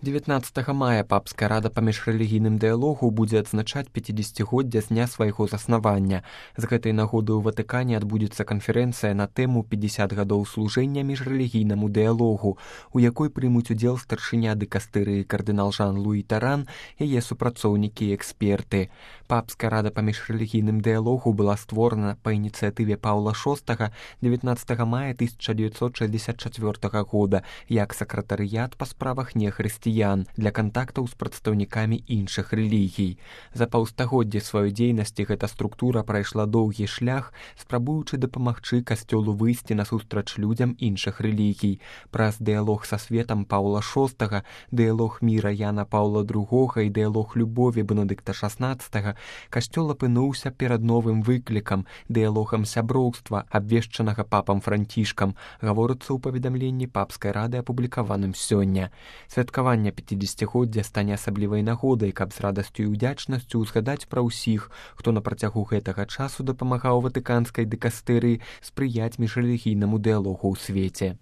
19 мая папская рада па міжрэлігійным дыялогу будзе адзначаць 50годдзя з дня свайго заснавання. З гэтай нагоды ў Ватыкане адбудзецца канферэнцыя на тэму 50 гадоў служэння міжрэлігійнаму дыялогу, у якой прымуць удзел старшыня дыкастырыі кардынал Жан-Луі Таран, яе супрацоўнікі і эксперты. Папская рада па міжрэлігійным дыялогу была створана па ініцыятыве Паўла VI 19 мая 1964 года як сакратарыят па справах нехрысціян для кантактаў з прадстаўнікамі іншых рэлігій. За паўстагоддзе сваёй дзейнасці гэта структура прайшла доўгі шлях, спрабуючы дапамагчы касцёлу выйсці насустрач людзям іншых рэлігій. Праз дыялог са светам Паўла VI, дыялог міра Яна Паўла II і дыялог любові Бенедыкта XVI касцёл апынуўся перад новым выклікам, дыялогам сяброўства, абвешчанага папам Францішкам, гаворыцца ў паведамленні папскай рады, апублікаваным сёння. Святкаванне 50годдзя стане асаблівай нагодай, каб з радасцю і ўдзячнасцю узгадаць пра ўсіх, хто на працягу гэтага часу дапамагаў ватыканскай дыкастырыі спрыяць міжрэлігійнаму дыялогу ў свеце.